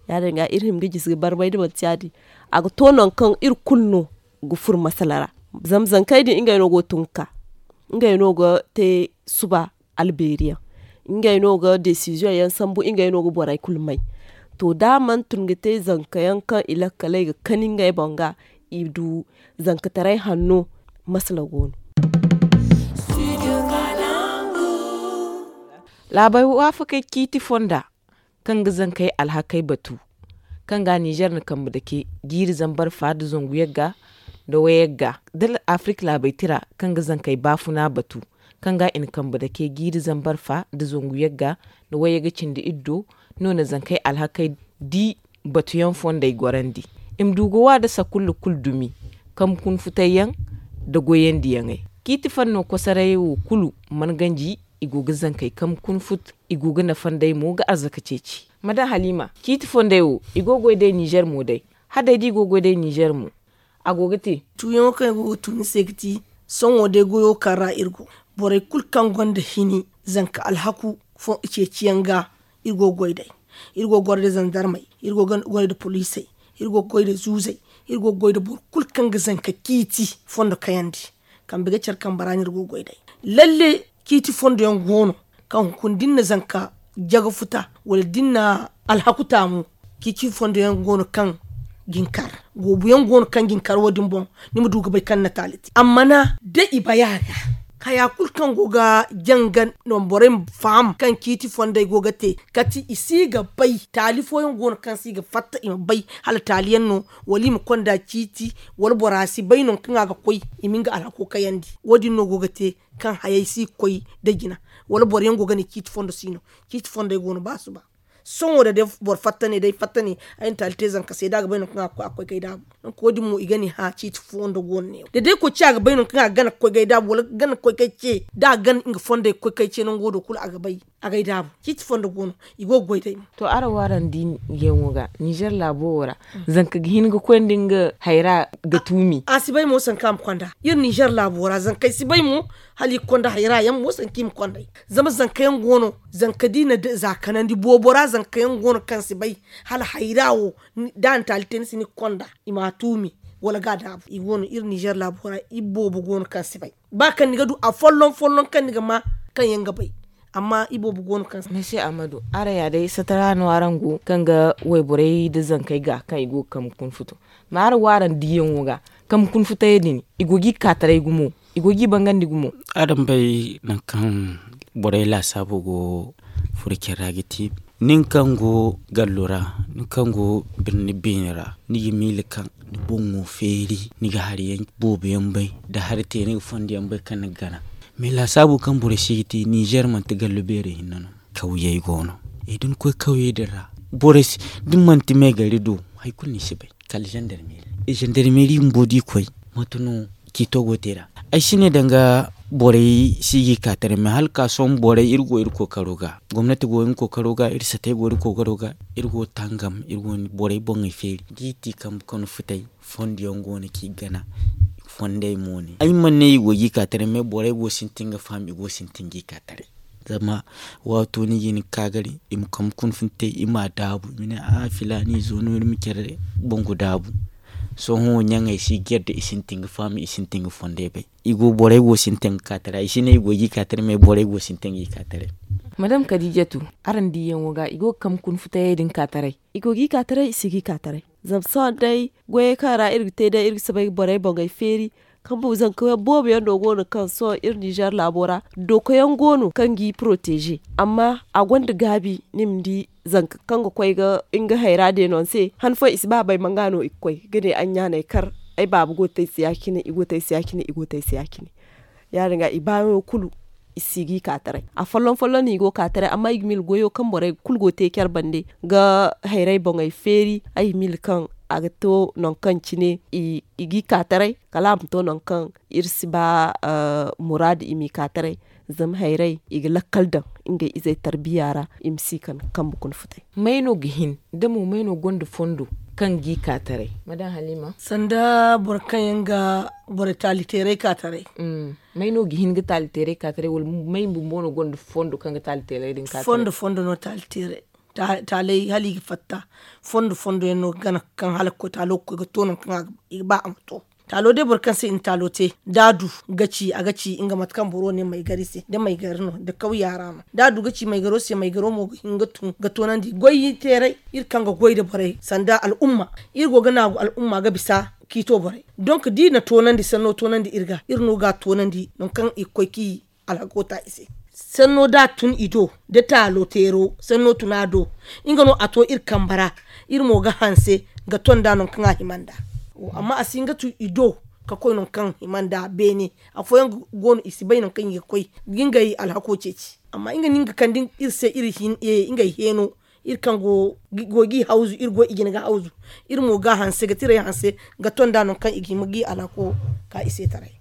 Ya- din ga iri hima ga gisi ga barmay da manti ya- din a ga to nangu kaŋ iri kulu no ga furo masala ra. Zama zankey din ngey no go ga tun ga ka ngey no ga te suba albeeri yaŋ. Ngey no ga desiziyoŋ yaŋ sambu ngey no ga borey kulu may. To da a mana tun ga te zanka yaŋ kaŋ i lakkaley ga kani ngey boŋ ga i du zankataray hanno. Masala go no. Laabey waafakey ciiti fonda kaŋ ga zankey alhakey batu kaŋ ga ninzeer na kambe dake jiiri zambar fa nda zangu yagga nda wayagga da afirik laabey tira kaŋ ga zankey baafuna batu. kaŋ ga i na kambe dake jiiri zambar fa nda zangu yagga nda wayyaga cindi iri do. No na zankey alhakey di batuyaŋ fondey gorandi. I ma du ga wa nda sakulla kulu dumi, kambe kunfutayyaŋ nda goyandiyaŋey. Ciiti fanno kosorayey wo kulu mana ganji. I go ga zankey kambe kunfut. I go ga nafa nd'ey mo ga arzaka ceeci. Ma daŋ haliima ciiti fondey wo i go ga goy day ninzeer mo day. Hadday da i go ga goy day ninzeer mo a go ga te. Tuuyaŋo kaŋ i go ga tuu ni se ga ti sohõ day goyo kaŋ ra iri go. Borey kulu kaŋ gonda hini zanka alhaku ceeciyaŋ ga. Iri go ga goy day. Iri go ga goy day zandarmey. Iri go ga goy day poliisey. Iri go ga goy day zuuzey. Iri go ga goy day boro kulu kaŋ ga zanka ciiti fondo kayandi. Kambe ga care kambe ra no iri go ga goy day. Lalle ciiti fondo yaŋ go no kaŋ hunkuna da ni na zanka jaga futa wala da ni na alhaku taamu. Ciiti fondo yaŋ go no kaŋ ga ni kar. Goobu yaŋ go no kaŋ ga ni kar wo- din boŋ. Ni ma du ga bay kaŋ ni na taali te amma na da i bay a ga haya kulu kaŋ go ga janga no borey ma faham kaŋ ciiti fondey go ga te. Kati i si ga bay taali fooyaŋ go no kaŋ si ga fatta i ma bay hala taali yaŋ no wala i ma konda ciiti wala bora si bay no kaŋ a ga koy i ma nga alhako kayandi. Wo- din no go ga te kaŋ hayey si ga koy nda jina wala boro yaŋ go ga ne ciiti fondo si no. Ciiti fondey go no ba suba. Sohõ da day boro fatta ne day fatta ne ay na taali te zanka se da a ga bay no kaŋ a ga koy a ga koy ga ay daabu. Nangu wo- din mo i ga ne hã ciiti fondo go no ne wo da day koy ce a ga bay no kaŋ a ga gana ga koy ga ay daabu wala ga gana ga koy ga ay ce da a ga gana nga fondey ga koy ga ay ce nango do kulu a ga bay. A ga ay daabu ciiti fondo go no. I go ga goy day mo. To araŋ wo araŋ di yaŋo ga ninzeer laabo wo ra zanka ga hin ga koy nda nga hayra ga tuumi. A si bay mo sanka a ma konda iri ninzeer laabo ra zankey si bay mo. Hala i ga konda hayra yaŋ mo sanka i ma kond'ey. Zama zanka yaŋ go no zanka da i na za kanandi boobo ra zanka yaŋ go no kaŋ si bay hala hayra wo. Da a na taali te ni se ni ga konda i ma a tuumi wala ga a daabu i go no iri ninzeer laabo ra. Iri boobo go no kaŋ si bay ba kaŋ ni ga du a folloŋ folloŋ kaŋ ni ga ma kaŋ yaŋ ga bay. Amma iboobo go no kaŋ se. Mesi ahmadu araŋ ya day satara no araŋ go kaŋ ga wayborey nda zankey ga kaŋ i go ga kambe kuna futo. Ma araŋ wo araŋ diiyaŋo ga kambe kuna futayey din i go ga i kaataray gumo. I go ga i bangandi gumo. Araŋ bay nangu kaŋ borey laasaabo go furo care ra ga ti nin kaŋ go gallo ra nin kaŋ go birni beene ra ni ga miila kaŋ ni boŋo feeri ni ga hari yaŋ boobo yaŋ bay nda hari te ni ga fondo yaŋ bay kaŋ ni ga gana. Mais laasaabo kaŋ borey se ga te ninzeer manti gallo beerey hinne no. Kawyey go no da ni koy kawyey din ra borey si da ni manti meegari do hari kulu ni si bay kala zandarmeeri. Zandarmeeri bumbo da i koy mate no ciito go te nd'a. Ay si ne danga borey si ga i ka taray mais hala ka sohõ borey iri go iri kookaro ga gomnati go iri kookaro ga iri satey go iri kookaro ga iri go tangam iri go borey boŋey feeri da i ti kambe kano futay. Fondo yaŋ go no kaŋ i gana fondey mo ne ay mana ne i go ga i ka taray mais borey go sintin ga faham i go sintin ga i ka taray. Zama waato no i ga hin ga ka gari i ma kambe kuna funtay i ma a daabu i ma ne a filaani izo no iri ma care bangu daabu. Sohõ ɲaŋey si gar da i sintin ga faham i sintin ga fondey bay. I go borey go sintin ga ka taray i si ne i go ga i ka taray mais borey go sintin ga i ka taray. Madam kadijatu, araŋ diiyaŋo ga i go ga kambe kuna futayey din ka taray. I go ga i ka taray i si ga i ka taray. Zama sohõ day goyey kaŋ ra iri ga te day iri ga soobay ga borey boŋey feeri. Kambe zanka yaŋ boobo yaŋ no go no kaŋ sohõ iri ninzeer laabo ra doka yaŋ go no kaŋ g'i poroteeze. Amma a gonda gaabi ni ma di zanka kaŋ ga koy ga nga hayra deeno ni se han fooyaŋ i si ba bay manga no i ga koy ga ne ay ɲaanay kar ay baaba go ga te ay se ya- cine i go ga te ay se ya- cine i go ga te ay se ya- cine. Ya- din ga i baayaŋo kulu i si ga i ka taray. Afolloŋ folloŋ no i go ga ka taray amma i ga miila goyo kaŋ borey kulu go ga te care bande ga hayray boŋey feeri. Ay ga miila kaŋ a ga to nangu kaŋ cine i ga i ka taray kala a ma to nangu kaŋ iri si ba muraadu i m'i ka taray. Zama hayray i ga lakkal daŋ ngey izey tarbiya ra i ma si kande kambe kuna futay. May no ga hin da mo may no gonda fondo kaŋ g'i ka taray? Madam haliima. Sanda boro kaŋ yaŋ ga borey taali teeray ka taray. May no ga hin ga taali teeray ka taray wala may bumbo no gonda fondo kaŋ ga taali teeray din ka taray? Fondo fondo no taali teeray. Taaley hala i ga fatta fondo fondo yaŋ no ga gana kaŋ hala ga koy taalo ga koy ga to nangu kaŋ i ga ba a ma to. Taalo day boro kaŋ se i na taalo te da a du ga ci a ga ci nga mate kaŋ boro ne maygari se da maygari no da kawya ra no da a du ga ci maygaro se maygaro mo ga hin ga tun ga toonandi goy teeray. Iri kaŋ ga goy nda borey sanda al'umma iri go ga naagu al'umma ga bisa kiito borey. Donk da i na toonandi sanno toonandi iri ga iri no ga a toonandi nangu kaŋ i ga koy ka i alhako ta i se. Sanno da a tun i do da taalo teero sanno tun a do. Nga no a to iri kambe ra iri mo ga hanse ga ton nd'a nangu kaŋ a hima nd'a. Amma a si hin ga tun i do Ka koy nangu kaŋ hima nda beene, afooyaŋ go no i si bay nangu kaŋ i ga koy ga ngey alhako ceeci. Amma nga no nga kande iri se iri hin ngey heeno, iri kaŋ go ga i hawzu iri go i jina ga hawzu, iri mo ga a hanse ga tirey hanse ga tonda nangu kaŋ i ga hima ga i alhako ka i se taray.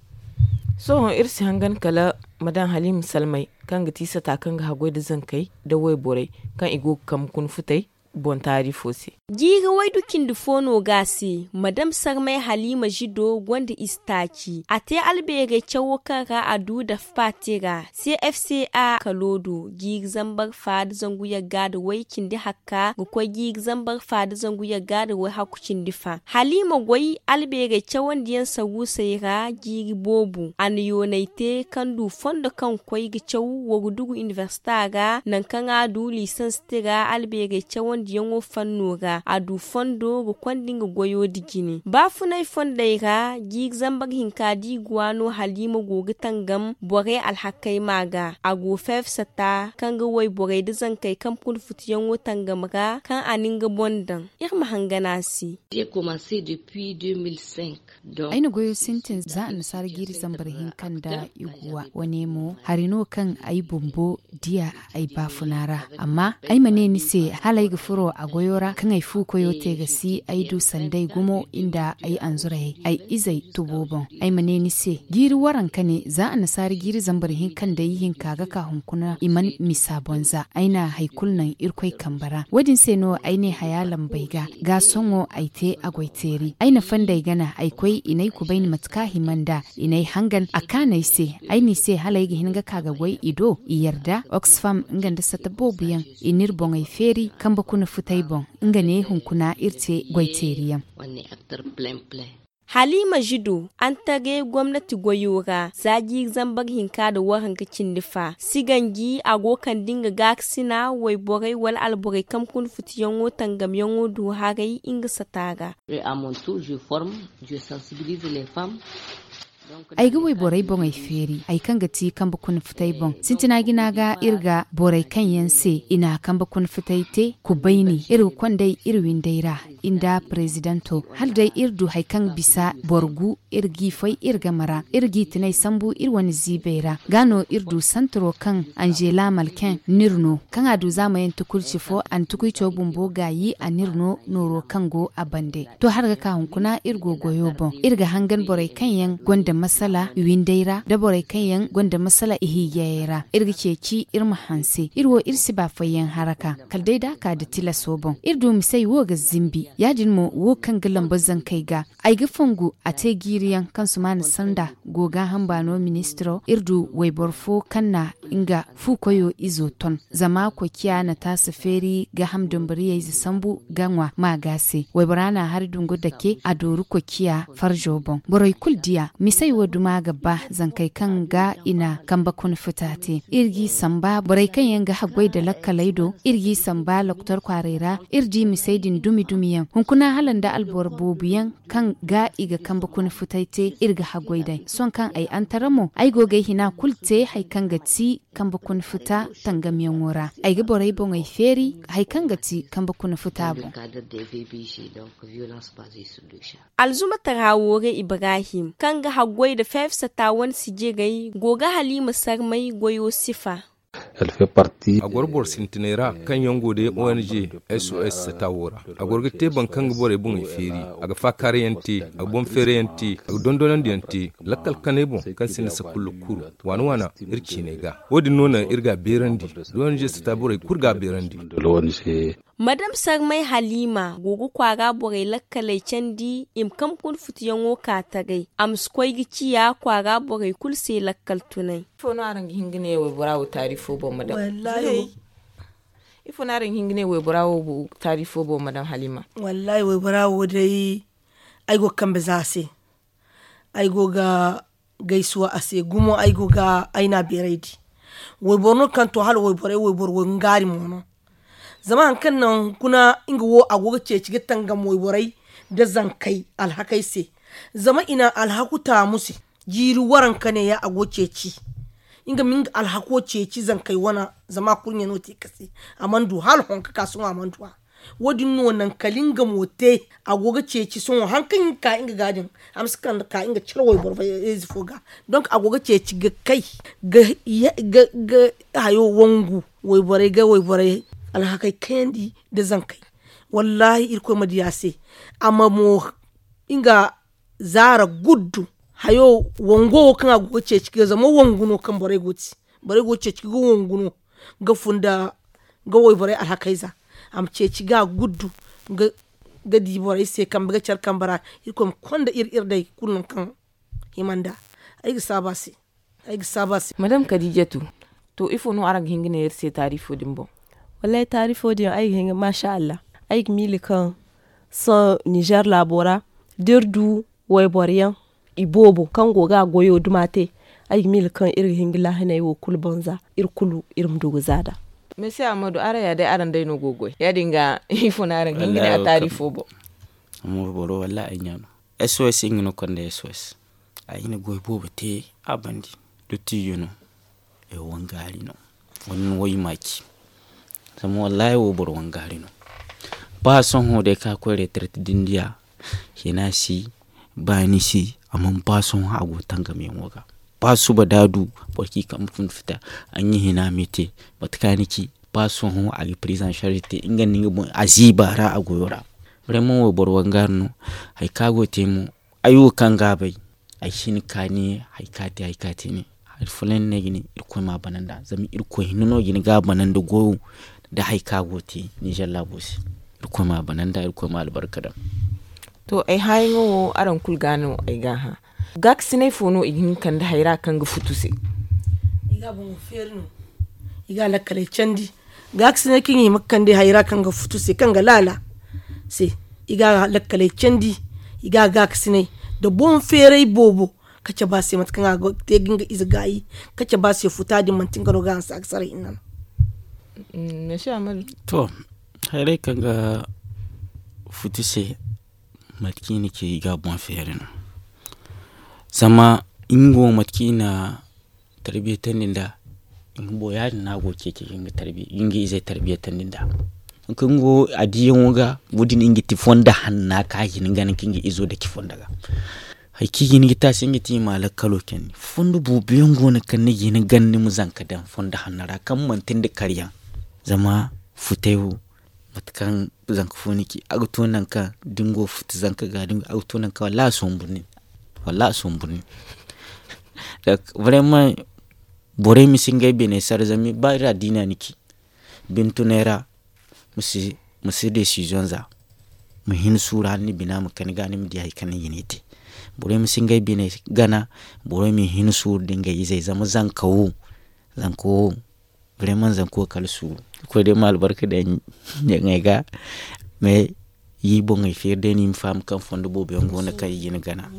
Sohõ iri si hangan kala madam haliima salmay, kaŋ ga ti sata kaŋ ga haggoy nda zankey nda wayborey, kaŋ i go ga kambe kuna futay boŋ taari fo se. Jiiri waydu cindi fo no ga a se madam sarmay haliima zido gonda ize taaci a te albeerey cawo kaŋ ra a du dafa paati ra, cfca kalo do jiiri zambar fa nda zangu yagga nda way cindi hakka ga koy jiiri zambar fa nda zangu yagga nda way hakku cindi fa haliima goy albeerey cawandiyaŋ saruusey ra jiiri boobo a na yoonay te kaŋ du fondo kaŋ ga koy ga caw warudugu inibersita ra nangu kaŋ a du liisans tira albeerey cawandiyaŋo fanno ra a du fondo ga konda nga goyo nda jine baafunay fondey ra jiiri zambar hinka da i go a no haliima go ga tangam borey alhakey ma ga a go feefsata kaŋ ga wayborey nda zankey kaŋ pun futuyaŋo tangam ra kaŋ a na nga boŋ daŋ iri ma hangan a se. Ay na goyo sintin za annasaara jiiri zambar hinka nda iguwa wane mo hari no kaŋ ay bumbo diya ay baafuna ra. Amma ay ma ne ni se hala ay ga furo a goyo ra kaŋ ay fu koyo te ga si ay du sanday gumo nda ay anzurayey ay izey tubo boŋ. Ay ma ne ni se jiiri waranka ne za annasaara jiiri zambar hinka nda ihinka ga ka hunkuna i mana misa boŋ za ay na hari kulu naŋ irkoy kambe ra wo- din se no ay ne haya lambey ga ga sohõ ay te a goy teeri ay na fandey gana ay koy i n'ay kubay ni mate kaŋ a hima nd'a i n'ay hangan a kaan'ay se ay n'i se hala ay ga hin ga ka ga goy i do i yarda oxfam nga nda sata boobo yaŋ i n'iri boŋey feeri kambe kuna futay boŋ nga ne hunkuna iri te goy teeri yaŋ. Haliima zido antagay gomnati goyo ra za jiiri zambar hinka nda waranka cindi fa si ganji a go kande nga gaakasina wayborey wala alborey kaŋ kuna futiyaŋo tangamyaŋo du haray nga sata ra. Ay ga wayborey boŋey feeri hari kaŋ ga ti kambe kuna futay boŋ sintina jina ga iri ga borey kaŋ yaŋ se i na kambe kuna futay te kubayni iri ga konday iri windey ra nda parezidanto hala day iri du hari kaŋ bisa boro gu iri g'i fay iri game ra iri g'i tinay sambu iri wane ziibey ra ga no iri du santaro kaŋ anzela malken n'iri no kaŋ a du zaamayaŋ tukurci fo a na tukuy caw bumbo gaayi a n'iri no nooro kaŋ go a bande to hala ga ka hunkuna iri go goyo boŋ iri ga hangan borey kaŋ yaŋ gonda masala i windey ra nda borey kaŋ yaŋ gonda masala i hiijayey ra iri ga ceeci iri ma hanse iri wo iri si ba fayyaŋ haraka kala day da a ka nda tilaso boŋ iri du misey wo ga zimbi ya- din mo wo kaŋ ga lamba zankey ga ay ga fongu a te jiiri yaŋ kaŋ sumaana sanda go gaaham baano ministiro iri du wayboro fo kaŋ na nga fu koyo izo ton zama koy ciya na taasa feeri gaaham dambariyayze sambu ga ŋwa maaga se waybora na hari dungu dake a dooru koy ciya farjo boŋ borey kulu diya misey wo duma ga ba zankey kaŋ ga i na kambe kuna futa te iri g'i samba borey kaŋ yaŋ ga haggoy nda lakkaley do iri g'i samba lokotor kwaarey ra iri di misey din dumi dumi yaŋ hunkuna hala nda alboro boobo yaŋ kaŋ ga i ga kambe kuna futay te iri ga haggoy day sohõ kaŋ ay antara mo ay go ga ay hina kulu te hari kaŋ ga ti kambe kuna futa tangamyaŋo ra ay ga borey boŋey feeri hari kaŋ ga ti kambe kuna futa boŋ. Alzumatara woore ibrahim kaŋ ga haggoy nda feefsata wane sijirey go ga haliima sarmay goyo sifa. A goro boro sintinay ra kaŋ yaŋ go day ong sos sata wo ra a goro ga te boro kaŋ ga borey boŋey feeri a ga faakaarayaŋ te a ga boŋ feerayaŋ te a ga dondonandiyaŋ te lakkal kanay boŋ kaŋ sinda sakulla kuru waana waana iri ciinay ga wo- din no naŋ iri ga a beerandi da ong sata borey kulu ga a beerandi. Madam sarmay haliima go ga kwaara borey lakkaley candi i ma kambe kuna futuyaŋo ka tagay a ma si koy ga ciya kwaara borey kulu se lakkal tunay. Ifo no araŋ ga hin ga ne waybora wo taari fo boŋ madam? Ifo no araŋ ga hin ga ne waybora wo taari fo boŋ madam haliima? Wallaahi waybora wo day ay go ga kambe za a se. Ay go ga gaysuwa a se gumo ay go ga ay na beeray di. Wayboro no kaŋ to hala wayborey wayboro wo ngaari mo no. Zama hari kaŋ naŋ hunkuna nga wo a go ga ceeci ga tangam wayborey nda zankey alhakey se. Zama i na alhaku taamu se jiiri waranka neeya a go ceeci. Nga ma nga alhako ceeci zankey wana. Zama a kurɲe no te ka se a mana du hala hõ ka ka sohõ a mana du a. Wo- din no naŋ kala nga mo te. A go ga ceeci sohõ hari kaŋ nga ka nga ga din. A ma si kande ka nga cire wayboro ize fo ga. Donk a go ga ceeci ga kay ga hayo wangu wayborey ga wayborey alhakey kayandi nda zankey. Wallaahi irkoy ma di a se. A ma mo nga zaara guddu hayo wango wo kaŋ a go ga ceeci ga zama wangu no kaŋ borey go ga ceeci ga wangu no ga fun nda ga wayborey alhakey za. A ma ceeci ga guddu ga di borey se kambe ga care kambe ra. Irkoy ma konda iri iri day kulu nangu kaŋ hima nd'a. Ay ga saabu a se. Ay ga saabu a se. Madame kadijatu, to ifo no araŋ ga hin ga ne iri se taarifo din boŋ? Wallaahi taarifo din ay ga hin ga maasa allah. Ay ga miila kaŋ sohõ nizeer laabo ra da iri du wayboro yaŋ iboobo kaŋ go ga a goyo duma te. Ay ga miila kaŋ iri ga hin ga laahiney wo kulu boŋ za iri kulu iri ma du ga za nd'a. Mesi ahmadu araŋ ya day araŋ day no go ga goy ya- din ga ifo no araŋ ga hin ga ne a taarifo boŋ? Amma wayboro wallaahi ay ɲa no. S O S nga no konda S O S. A i na goy boobo te a bandi. Dottijo no. Ay wangaari no. Wani no way maaci. Zama wallaahi wo boro wangaari no. Ba sohõ day ka koy retraite din diya. Hina si baani si. Amma ba sohõ a go tangam yaŋo ga. Ba suba da du boro ci kambe fun fita. An yi hina mete. Mate ka ni ci ba sohõ a ga prise en charge te nga nda nga boŋ a ziiba ra a goyo ra. Vraiment wo boro wangaari no. Hari ka go te mo. Ay wo kaŋ ga a bay. Ay si hin ka ne hari ka te hari ka te ne. Hari fulaŋ no ay ga ne. Irkoy ma a bana nd'a zama irkoy hinne no ga hin ga a bana nda goyo. Nda hari ka go te nizeer laabo se. Irkoy ma a bana nd'a irkoy ma albarka daŋ. To ay haayaŋo wo araŋ kulu ga no ay ga a hã. Gaakasinay fo no i ga hin ga kande hayra kaŋ ga futu se? I ga a boŋo feeri no. I ga a lakkaley candi. Gaakasinay kaŋ i hima ga kande hayra kaŋ ga futu se kaŋ ga laala se. I ga a lakkaley candi. I ga a gaakasinay nda boŋ feeray boobo. Ka cabe a se mate kaŋ a ga te ga nga ize gaayi. Ka cabe a se futa din manti nga no ga hanse a ga sara hinne no. To, hayray kaŋ ga futu se. Mate kaŋ i na ci i ga a boŋ feeri no. Zama nga wo mate kaŋ i na tarbiyatandi nd'a. Nga wo ya- din no a go ga ceeci ga nga izey tarbiyatandi nd'a. Nga wo a diyaŋo ga wo- din nga ti fondo hanna kaŋ a ga hin ga gana ka nga izo dake fondo ga. Hari kaŋ i ga hin ga te a se nga ti i ma a lakkalo candi fondo boobo yaŋ go no kaŋ ni ga hin ga gana ni ma zanka daŋ fondo hanno ra kaŋ manti nda karyaŋ. Zama futay wo mate kaŋ zanka fo ni ci a ga to nangu kaŋ da ni go ga futa zanka ga a ga to nangu kaŋ wallaahi a sombu ni. Wallaahi a sombu ni. Vraiment borey ma si ngey bine sara zama ba iri addiina ni ci bintunay ra. Ma si desiziyoŋ za ma hin suuru hala ni bina ma kani ga ni ma di hari kaŋ ni ga ne te. Borey ma si ngey bine gana. Borey ma hin suuru da ngey izey zama zanka wo zanka wo. Vraiment zanka wo kala suuru. Koy day ma albarka daŋ ɲaŋey ga. Mais i boŋey feeri day no i ma faham kaŋ fondo boobo yaŋ go no kaŋ i ga ni gana.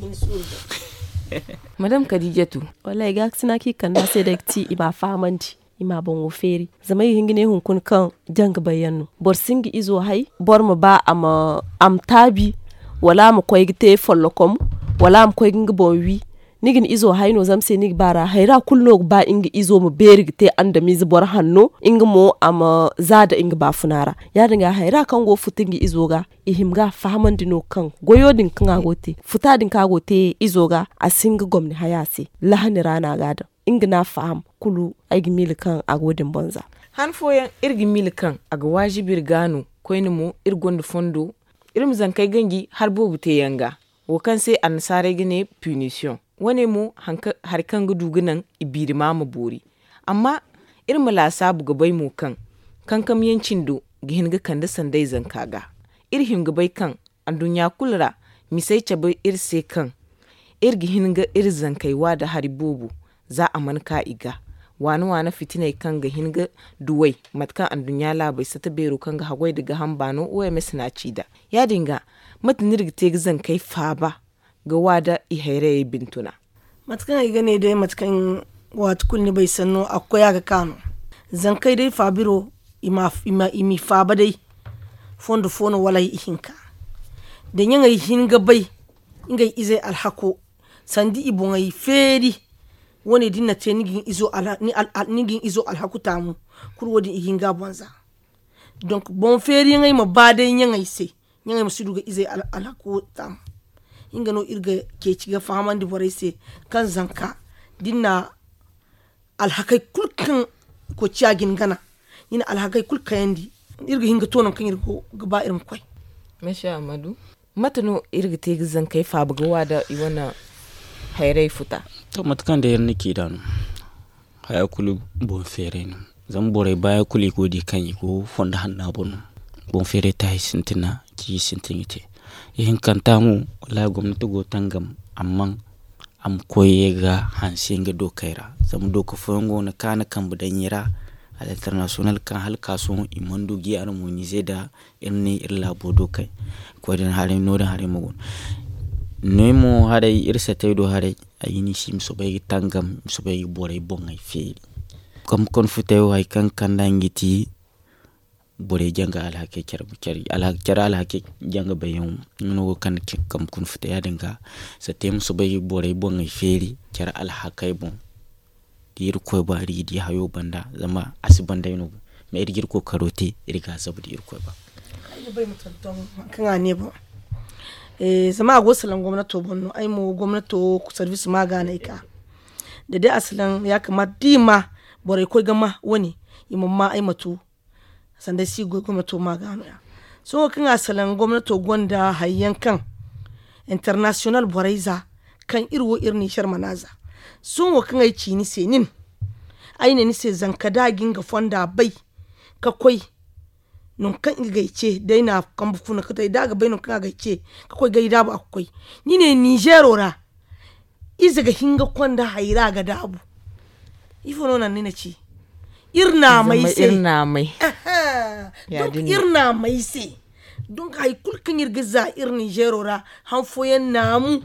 Madame kadijatu. Wallaahi gaakasina kaŋ i kande a se day ga ti i ma a fahamandi. I ma a boŋo feeri zama i ga hin ga ne hunkuna kaŋ jaŋ ga bay yaŋ no. Boro si nga izo hay boro ma ba a ma taabi wala a ma koy ga te follokom wala a ma koy ga nga boŋ wi. Ni ga ni izo hay no zama se ni ga ba ra hayra kulu no ga ba nga izo ma beeri ga te andamize boro hanno nga mo a ma za nda nga baafuna ra. Ya- din ga hayra kaŋ go ga futu nga izo ga i hima ga a fahamandi no kaŋ goyo din kaŋ a go ga te futa din kaŋ a go ga te izo ga a si hin ga gomni hay a se. Lahani ra no a ga a daŋ nga no a faham kulu. Ay ga miila kaŋ a go din boŋ za. Han fooyaŋ iri ga miila kaŋ a ga waajibi iri ga no koyne mo iri gonda fondo iri ma zankey ganji hari boobo teeyaŋ ga. Wo kaŋ se annasaarey ga ne pinisiyoŋ. Wo- ne mo hari kaŋ ga du ga naŋ i biirima ma boori. Amma iri ma laasaabu ga bay mo kaŋ kankamyaŋ cindo ga hin ga kande sanday zanka ga. Iri hima ga bay kaŋ anduɲɲa kulu ra misey cabe iri se kaŋ iri ga hin ga iri zankey wa nda hari boobo. Za a mana ka i ga waana waana fitiney kaŋ ga hin ga duwey mate kaŋ anduɲɲa laabey sata beero kaŋ ga haggoy nda gaham baano o m s no a ci nd'a. Ya- din ga mate no iri ga te ga zankey faaba ga wa nda i hayrayey bintuna? Mate kaŋ ay ga ne day mate kaŋ waati kulu ni bay sanno a ga koy a ga ka no. Zankey day faabiro i m'i faaba day fondo fo no wala ihinka. Da ɲaŋey hin ga bay ngey izey alhako sanda i boŋey feeri. Wo- ne da ni na te ni ga ni izo alhaku taamu kulu wo- din i ga hin ga a boŋ za. Donk boŋ feeriyaŋey ma ba day ɲaŋey se. Ɲaŋey ma si du ga izey alhako taamu. Nga no iri ga ceeci ga fahamandi borey se, kaŋ zanka da ni na alhakey kulu kaŋ koociya ga ni gana, ni na alhakey kulu kayandi, iri ga hin ga to nangu kaŋ iri go ga ba iri ma koy. Mate no iri ga te ga zankey faaba ga wa da i wane hayray futa? To mate kaŋ day iri na ci nd'a no, haya kulu boŋ feeray no. Zama borey baayaŋ kulu i go ga di kaŋ i go fondo hanna boŋ no. Boŋ feeray taahi sintina, ciiji sintin ga te. Ihinkanta mo, wallaahi gomnati go ga tangam, amma a ma koy ye ga hanse nga dookey ra. Zama dooka fooyaŋ go no kaŋ a na kambe daŋ i ra, a l'international kaŋ hala ka sohõ i mana du ga i harmonize nda iri ne iri laabo dookey. Koy din haray no- din haray mo go no. Noy mo haray iri satey do haray, ay ga ni si i ma soobay ga tangam, i ma soobay ga borey boŋey feeri. Kambe kuna futay wo hari kaŋ ga kand'a nga ga ti borey janga alhakey care alhakey janga bayyaŋo. Nga no go ga kande kambe kuna futay ya- din ga, satey ma soobay ga borey boŋey feeri care alhakey boŋ. Da iri ga koy ba iri ga di hayo banda zama a si banda ay no. Ma iri ga iri kookaro te iri ga a zabu da iri ga koy ba. Ay ga bay ma tonton hari kaŋ a ne boŋ. Zama a go ga salaŋ gomnato boŋ no ay mo gomnato sarbiisi ma ga no ay ka. Da day a salaŋ ya kamaata da i ma borey koy ga ma wane, i mana ma ay ma tu. Sanda ay si goy gomnato ma ga no- ya. Sohõ kaŋ a salaŋ gomnato gonda hari yaŋ kaŋ international borey za, kaŋ iri wo iri ninzeer mana za. Sohõ kaŋ ay ci ni se nin, ay ne ni se zanka da a ga nga fonda bay, ka koy nangu kaŋ nga ga ay ce, da ay na kambe funa ka to ay da a ga bay nangu kaŋ a ga ay ce, ka koy ga ay daabu a ga koy. Ni ne ninzeero ra, ize ga hin ga konda hayra ga daabu. Ifo no naŋ ni na ci? Iri naamay se. Iri naamay se. Donk hari kulu kaŋ iri ga za iri ninzeero ra, han fooyaŋ naamu,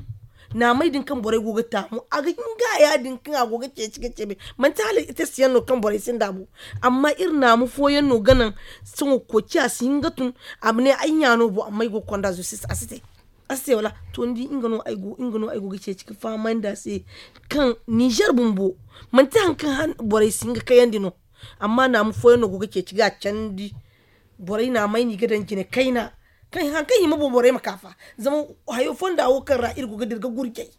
naamay din kaŋ borey go ga taamu a ga hin ga ya- din kaŋ a go ga ceeci ga ceebe. Manti hala itasiyaŋ no kaŋ borey sinda bo. Amma iri naamu fooyaŋ no ga naŋ, sohõ koociya si hin ga tun, a ma ne ay ɲa no bo amma ay go ga konda zostis a si te. A si te wala? To ni di nga no ay go ga ceeci ga fahamandi a se, kaŋ ninzeer bumbo manti hari kaŋ borey si hin ga kayandi no. Amma naamu fooyaŋ no go ga ceeci ga a candi. Borey naamay no i ga daŋ jine kayna, kaŋ hari kaŋ hima boŋ borey ma ka fa. Zama hayo fonda wo kaŋ ra iri go ga dira ga gurjay,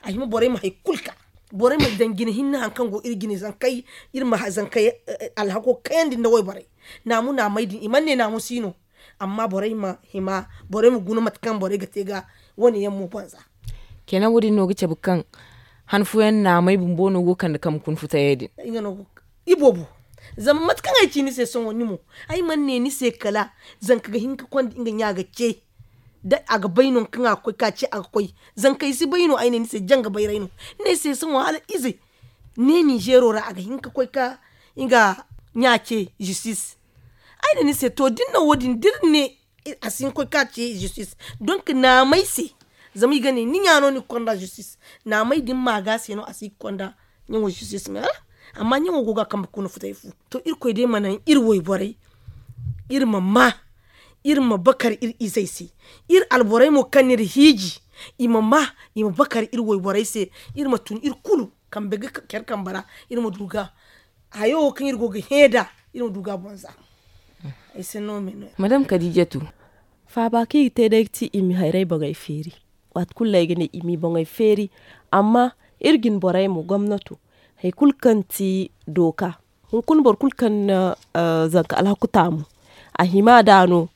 a hima borey ma hari kulu ka, borey ma daŋ jine hinne hari kaŋ go iri jine zankey, iri ma zankey alhako kayandi nda wayborey. Naamu naamay din i mana ne naamu si no. Amma borey ma hima, borey ma guna mate kaŋ borey ga te ga wane yaŋ mo banza. Kenan wo- din no ga cabe kaŋ han fooyaŋ naamey bumbo no go ga kande kambe kuna futayey din. Iboobo, zama mate kaŋ ay ci ni se sohõ ni mo, ay mana ne ni se kala zanka ga hin ga konda nga ɲa ga ce, da a ga bay no kaŋ a ga koy ka ce a ga koy. Zankey si bay no ay ne ni se janga bayray no. Ni ne se sohõ hala ize ne ninzeero ra a ga hin ga koy ka nga ɲa ce zistis. Ay ne ni se to da ni na wo- din da iri ne a si hin ga koy ka ci zistis. Donk naamay se, zama i ga ne ni ɲa no ni ga konda zistis. Naamay din maaga se no a si ga konda ɲaŋo zistis me wala? Amma ɲaŋo go ga a kambe kuna futay fu. To irkoy day ma naŋ iri wayborey, iri ma ma, iri ma bakar iri izey se. Iri alborey mo kaŋ n'iri hiiji, i ma ma, i ma bakar iri wayborey se. Iri ma tun iri kulu kambe ga care kambe ra, iri ma du ga hayo wo kaŋ iri go ga hẽ nd'a, iri ma du ga a boŋ za. Ay se no me no ya. Madame kadijatu, faaba kaŋ i ga te day ga ti i ma hayray boŋey feeri. Waati kulu no ay ga ne i m'i boŋey feeri. Amma iri jine borey mo gomnato, hari kulu kaŋ ti dooka, hunkuna boro kulu kaŋ na zanka alhaku taamu, a hima nd'a no.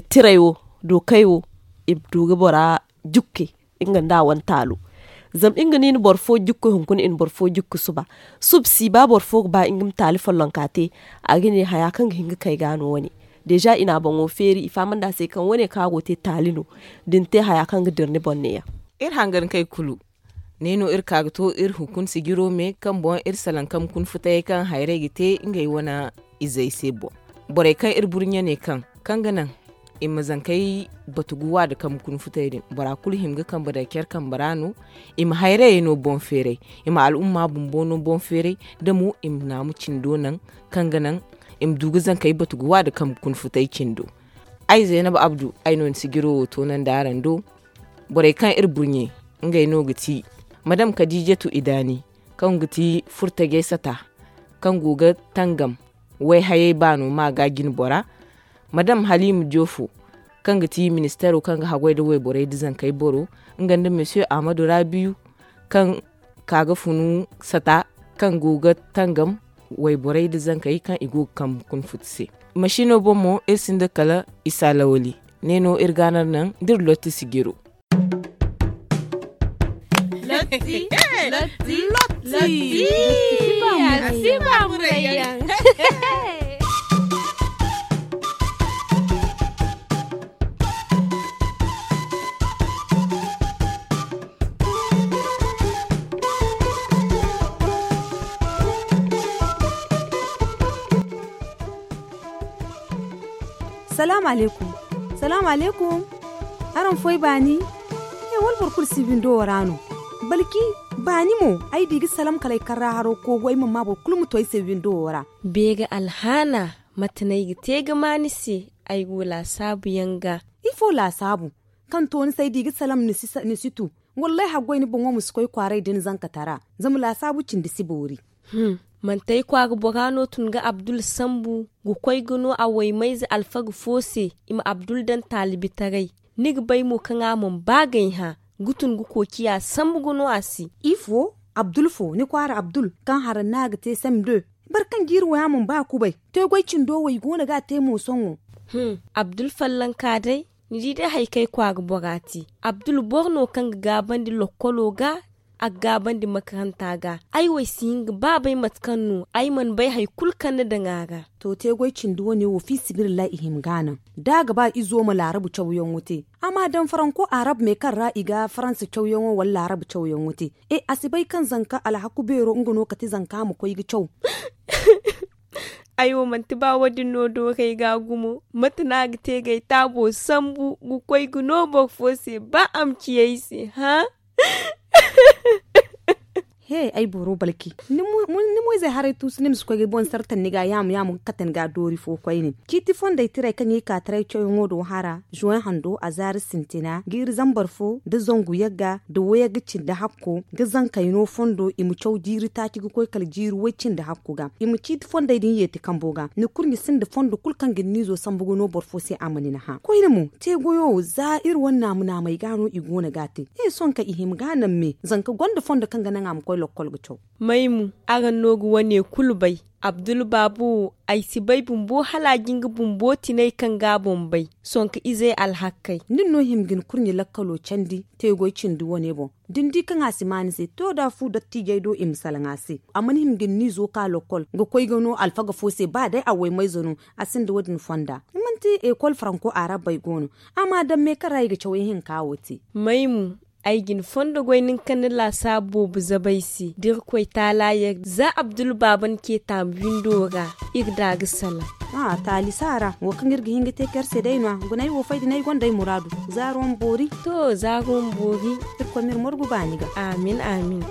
Tiray wo, dookey wo, i ma du ga bora jukke nga nda a wane taalo. Zama nga no i na boro fo jukku hunkuna i na boro fo jukku suba. Suba si ba boro fo ga ba nga ma taali follonka te, a ga ne haya kaŋ ga hin ga kay ga no wane. Deeza i na a boŋo feeri i fahamandi a se kaŋ wane kaŋ a go ga te taali no. Da ni te haya kaŋ ga dira ni boŋ neeya. Iri hangan kay kulu, ne no iri ka ga to iri hunkuna sijiro me kaŋ boŋ iri salaŋ kambe kuna futayey kaŋ hayrey ga te ngey wane izey se boŋ. Borey kaŋ iri burɲe ne kaŋ kaŋ ga naŋ i ma zankey batu ga wa nda kambe kuna futay din, bora kulu hima ga kambe daŋ care kambe ra no. I ma hayrayey no boŋ feeray, i ma al'umma bumbo no boŋ feeray, da mo i ma naamu cindo naŋ kaŋ ga naŋ i ma du ga zankey batu ga wa nda kambe kuna futay cindo. Ay zaynab abdu, ay no ni sijiro wo toonandi araŋ do. Borey kaŋ iri burɲe, ngey no ga ti madam kadijatu idaani, kaŋ ga ti furtajey sata, kaŋ go ga tangam wayhayey baano ma ga jine bora. Madam Halima Joofo, kaŋ ga ti ministeero kaŋ ga haggoy nda wayborey nda zankey boro, nga nda Monsieur Ahmadu Rabiyu, kaŋ ka ga funu sata, kaŋ go ga tangam wayborey nda zankey kaŋ i go ga kambe kuna futu se. Masiino boŋ mo, iri sinda kala isa lawali. Ne no iri ga a naŋ nda iri lotti sijiro. Lotti. Lotti. Lotti. Lotti. Lotti. Lotti. Lotti. Lotti. Lotti. Salaamu aleykum. Salaamu aleykum. Araŋ foy baani? He, wala boro kulu si windo wo ra no? Balki, baani mo, ay di ga salaŋ kala ay karra haro koogu, ay mana ma boro kulu ma to ay se windo wo ra. Beeri alhaana, mate no ay ga te ga ma ni se, ay go laasaabu yaŋ ga? Ifo laasaabu? Kaŋ to ni se ay di ga salaŋ ni si sa-, ni si tu. Wallaahi, haggoy ni boŋo ma si koy kwaaray da ni zankatara. Zama laasaabu cindi si boori. Hum, manti ay kwaara bora no tun ga Abdul sambu, ga koy ga no a waymayze alfaga fo se, i ma Abdul daŋ taalibitaray. Ni ga bay mo kaŋ a mana ba g'ay hã, ga tun ga koociya sambu ga no a se. Ifo? Abdul fo, ni kwaara Abdul, kaŋ haraŋ no a ga te sem de? Boro kaŋ jiiri wo ya mana ba kubay. Te goy cindo wo i go no ga a te mo sohõ. Hum, Abdul fallanka day, ni di day hari kaŋ ay kwaara bora te. Abdul boro no kaŋ ga gaabandi lokkolo ga, a ga gaabandi makaranta ga. Ay wo ay si hin ga ba bay mate kaŋ no, ay mana bay hari kulu kaŋ ni daŋ a ra. To, te goy cindi wane wo, fi sabilillahi, i hima ga a naŋ. Da a ga ba izo ma laarabu cawyaŋo te. A ma daŋ faranko arab me kaŋ ra i ga faransa cawyaŋo wala laarabu cawyaŋo te. E, a si bay kaŋ zanka alhaku beero, nga no kate zanka ma koy ga caw. Ay wo, manti ba wo-din no dooray ga gumo. Mate no a ga te g'ay taabo sambu, ga koy ga no boro fo se, ba a ma ci ay se, hã? He, ay boro balki. Ni mo, mo, ni mo-izey haray tuusu, ni ma si koy ga boŋ sartan ni ga yaamu-yaamu ga kate ni ga doori fo koyne. Ciiti fondey tiray kaŋ i ka taray cawyaŋo do hara, juwaŋ hando, a zaari sintina, jiiri zambar fo, da zangu yagga, da wayagga cindi hakko, ga zankey no fondo, i ma caw jiiri taaci ga koy kala jiiri way cindi hakko ga. I ma ciiti fondey din yeeti kambo ga. Ni kurɲe sinda fondo kulu kaŋ ga ni niizo sambu ga no boro fo se a ma ni na hã. Koyne mo, te goyo wo, za iri wane naamu-naamey ga no i go no ga a te. E, sohõ kaŋ i hima ga a naŋ me, zanka gonda fondo kaŋ ga naŋ a ma koy lokkol ga caw. May mo, araŋ no ga wane kulu bay. Abdul baabo wo, ay si bay bumbo hala a ga nga bumbo tinay kaŋ ga a boŋ bay. Sohõ kaŋ izey alhakkey. Nin no hima ga ni kurɲe lakkalo candi, te goy cindi wane boŋ. Da ni di kaŋ a si maa ni se, to da fu dottiijey do i ma salaŋ a se. A mana hima ga ni niizo ka lokkol, ga koy ga no alfaga fo se, ba day a waymayze no, a sinda wo-din fonda. Manti ekol faranko arabbey go no. A ma daŋ me kaŋ ra i ga caw ihinka wo te. May mo, ay ga ni fondo goy nin kaŋ ni laasaabu boobo zabu ay se. Da Irkoy Taala yar, za Abdul baaba ni ce taamu windo ra, iri da ga salaŋ. A, taali saara, wo kaŋ iri ga hin ga te care se day no-ya. Guna ay wo fay din ay gonda ay muraadu. Zaaro ma boori. To, zaaro ma boori. Irkoy ma iri margu baani ga. Amin, amin.